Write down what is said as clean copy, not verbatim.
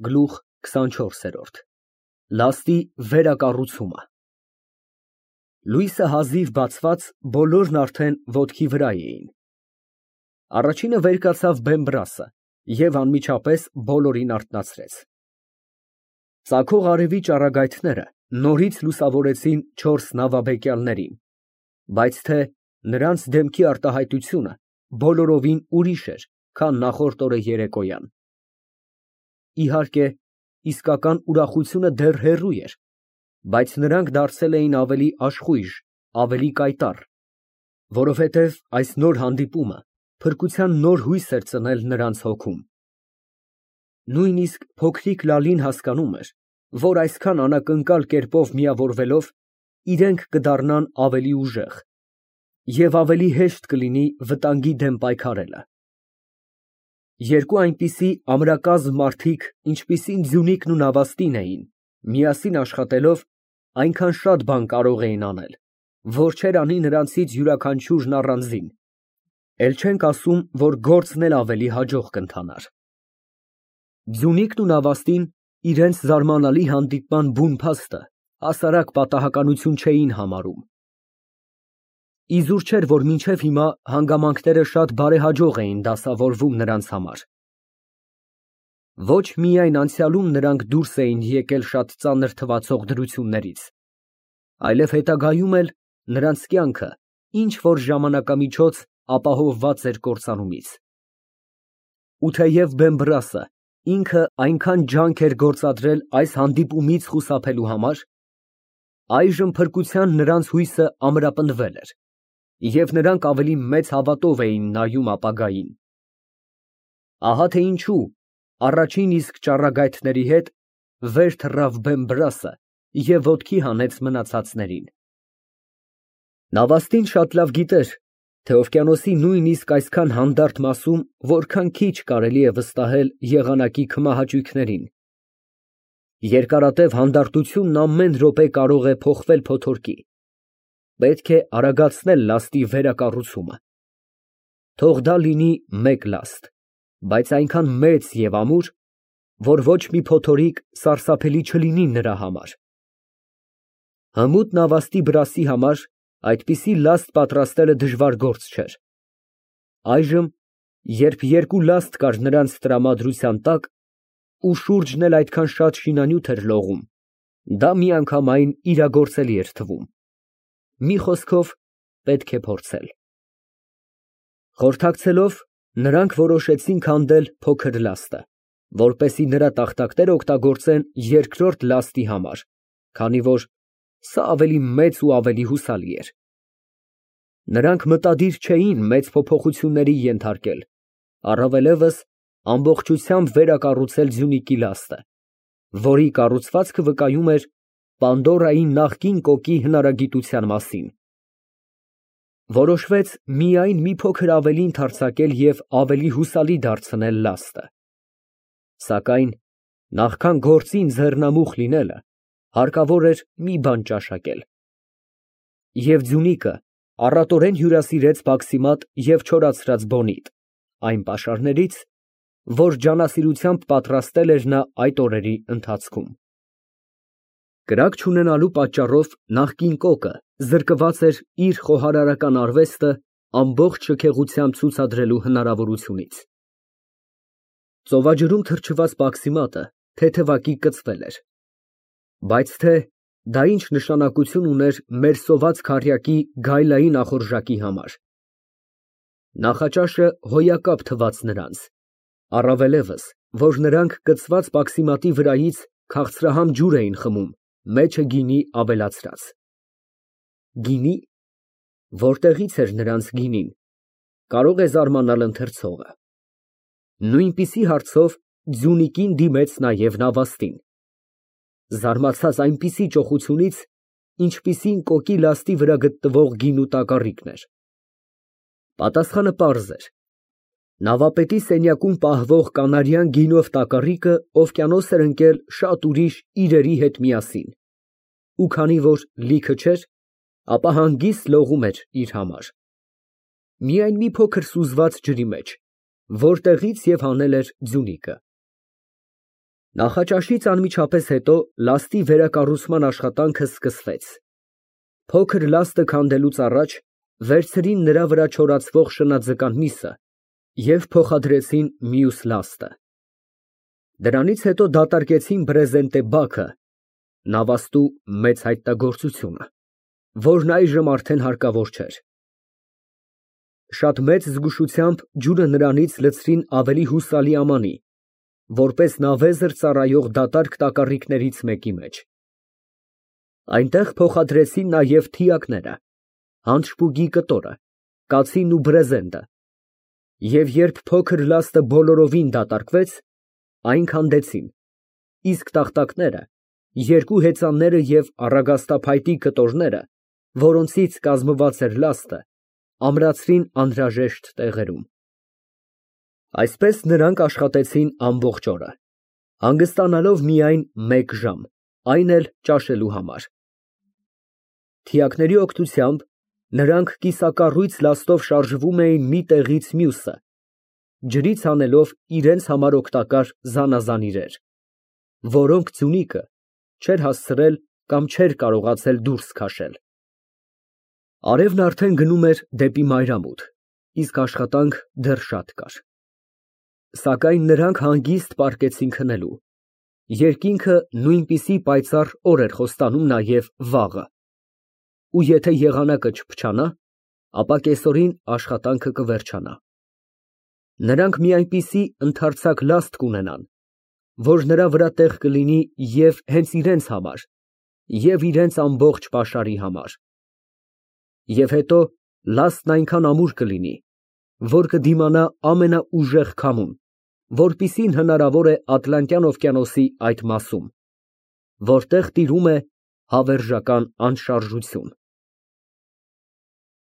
Գլուխ 24 Լաստի վերակառուցումը Լույսը հազիվ բացված, բոլորն արդեն ոտքի վրա էին։ Առաջինը վեր կացավ բեմբրասը և անմիջապես բոլորին արթնացրեց։ Ծագող արևի ճառագայթները նորից լուսավորեցին չորս նավաբեկյալներին, բայց թե նրանց դեմքի արտահայտությունը բոլորովին ուրիշ էր, քան նախորդ օրը երեկոյան։ Իհարկե, իսկական ուրախությունը դեռ հեռու էր, բայց նրանք դարձել էին ավելի աշխույժ, ավելի կայտառ, որովհետև այս նոր հանդիպումը փրկության նոր հույս էր ծնել նրանց հոգում։ Նույնիսկ փոքրիկ Լալին հասկանում էր, որ այսքան անակնկալ կերպով միավորվելով, իրենք կդառնան ավելի ուժեղ և ավելի հեշտ կլինի վտանգի դեմ պայքարելը։ Երկու այնպիսի ամրակազմ մարդիկ, ինչպիսին Ձյունիկն ու Նավաստին էին, միասին աշխատելով, այնքան շատ բան կարող էին անել, որ չէր անի նրանցից յուրաքանչյուրն առանձին, էլ չենք ասում, որ գործն էլ ավելի հաջող կընթանար։ Ձյունիկն ու Նավաստին իրենց զարմանալի հանդիպման բուն փաստը հասարակ պատահականություն չէին համարում։ Իզուր չէր, որ մինչև հիմա հանգամանքները շատ բարեհաջող էին դասավորվում նրանց համար։ Ոչ միայն անցյալում նրանք դուրս էին եկել շատ ծանր թվացող դրություններից, այլև հետագայում էլ նրանց կյանքը ինչ֊որ ժամանակամիջոց ապահովված էր կործանումից։ Ու թեև Բեմբրասը ինքը այնքան ջանք էր գործադրել այս հանդիպումից խուսափելու համար, այժմ փրկության նրանց հույսը ամրապնդվել էր, և նրանք ավելի մեծ հավատով էին նայում ապագային։ Ահա թե ինչու առաջին իսկ ճառագայթների հետ վեր թռավ Բեմբրասը և ոտքի հանեց մնացածներին։ Նավաստին շատ լավ գիտեր, թե օվկիանոսի նույնիսկ այսքան հանդարտ մասում որքան քիչ կարելի է վստահել եղանակի քմահաճույքներին։ Երկարատև հանդարտությունն ամեն րոպե կարող է փոխվել փոթորկի։ Պետք է արագացնել լաստի վերակառուցումը։ Թող դա լինի մեկ լաստ, բայց այնքան մեծ և ամուր, որ ոչ մի փոթորիկ սարսափելի չլինի նրա համար։ Հմուտ նավաստի բրասի համար այդպիսի լաստ պատրաստելը դժվար գործ չէր։ Այժմ, երբ երկու լաստ կար նրանց տրամադրության տակ, ու շուրջն էլ այդքան շատ շինանյութ էր լողում, դա միանգամայն իրագործելի էր թվում։ Մի խոսքով, պետք է փորձել։ Խորհրդակցելով, նրանք որոշեցին քանդել փոքր լաստը, որպեսզի նրա տախտակները օգտագործեն երկրորդ լաստի համար, քանի որ սա ավելի մեծ ու ավելի հուսալի էր։ Նրանք մտադիր չէին մեծ փոփոխությունների ենթարկել, առավելևս ամբողջությամբ վերակառուցել Ձյունիկի լաստը, որի կառուցվածքը վկայում էր Պանդորայի նախկին կոկի հնարագիտության մասին։ Որոշվեց միայն մի փոքր ավելի ընդարձակել և ավելի հուսալի դարձնել լաստը։ Սակայն նախքան գործին ձեռնամուխ լինելը, հարկավոր էր մի բան ճաշակել։ Եվ Ձյունիկը առատորեն հյուրասիրեց բաքսիմատ և չորացրած բոնիտ, այն պաշարներից, որ ջանասիրությամբ պատրաստել էր նա այդ օրերի ընթացքում։ Կրակ չունենալու պատճառով նախկին կոկը զրկված էր իր խոհարարական արվեստը ամբողջ շքեղությամբ ցուցադրելու հնարավորությունից։ Ծովաջրում թրջված բաքսիմատը թեթևակի կծվել էր, բայց թե դա ինչ նշանակություն ուներ մեր սոված քառյակի գայլային ախորժակի համար։ Նախաճաշը հոյակապ թվաց նրանց, առավելևս, որ նրանք կծված բաքսիմատի վրայից քաղցրահամ ջուր էին խմում, մեջը գինի ավելացրած։ Գինի։ Որտեղից էր նրանց գինին, կարող է զարմանալ ընթերցողը։ Նույնպիսի հարցով Ձյունիկին դիմեց նաև Նավաստին, զարմացած այնպիսի ճոխությունից, ինչպիսին կոկի լաստի վրա գտնվող գինու տակառիկն էր։ Պատասխանը պարզ էր. նավապետի սենյակում պահվող կանարյան գինով տակառիկը օվկիանոս էր ընկել շատ ուրիշ իրերի հետ միասին, ու քանի որ լիքը չէր, ապա հանգիստ լողում էր իր համար։ Միայն մի փոքր սուզված ջրի մեջ, որտեղից և հանել էր Ձյունիկը։ Նախաճաշից անմիջապես հետո լաստի վերակառուցման աշխատանքը սկսվեց։ Փոքր լաստը քանդելուց առաջ վերցրին նրա վրա չորացվող շնաձկան միսը և փոխադրեցին մյուս լաստը։ Դրանից հետո դատարկեցին բրեզենտե բաքը (նավաստու մեծ հայտնագործությունը), որն այժմ արդեն հարկավոր չէր։ Շատ մեծ զգուշությամբ ջուրը նրանից լցրին ավելի հուսալի ամանի, որպես նավեզր ծառայող դատարկ տակառիկներից մեկի մեջ։ Այնտեղ փոխադրեցին նաև թիակները, հանճպուգի կտորը, կացին ու բրեզենտը, և երբ փոքր լաստը բոլորովին դատարկվեց, այն քանդեցին, իսկ տախտակները, երկու հեծանները և առագաստափայտի կտորները, որոնցից կազմված էր լաստը, ամրացրին անհրաժեշտ տեղերում։ Այսպես նրանք աշխատեցին ամբողջ օրը, հանգստանալով միայն մեկ ժամ, այն էլ ճաշելու համար։ Թիակների օգնությամբ նրանք կիսակառույց լաստով շարժվում էին մի տեղից մյուսը, ջրից հանելով իրենց համար օգտակար զանազան իրեր, որոնք ձյունիկը չէր հասցրել կամ չէր կարողացել դուրս քաշել։ Արևն արդեն գնում էր դեպի մայրամուտ, իսկ աշխատանք դեռ շատ կար։ Սակայն նրանք հանգիստ պառկեցին քնելու, երկինքը նույնպիսի պայծառ օր էր խոստանում նաև վաղը, ու եթե եղանակը չփչանա, ապա կեսօրին աշխատանքը կվերջանա։ Նրանք մի այնպիսի ընդարձակ լաստ կունենան, որ նրա վրա տեղ կլինի և հենց իրենց համար, և իրենց ամբողջ պաշարի համար։ Եվ հետո լաստն այնքան ամուր կլինի, որ կդիմանա ամենաուժեղ քամուն, որպիսին հնարավոր է Ատլանտյան օվկիանոսի այդ մասում, որտեղ տիրում է հավերժական անշարժություն։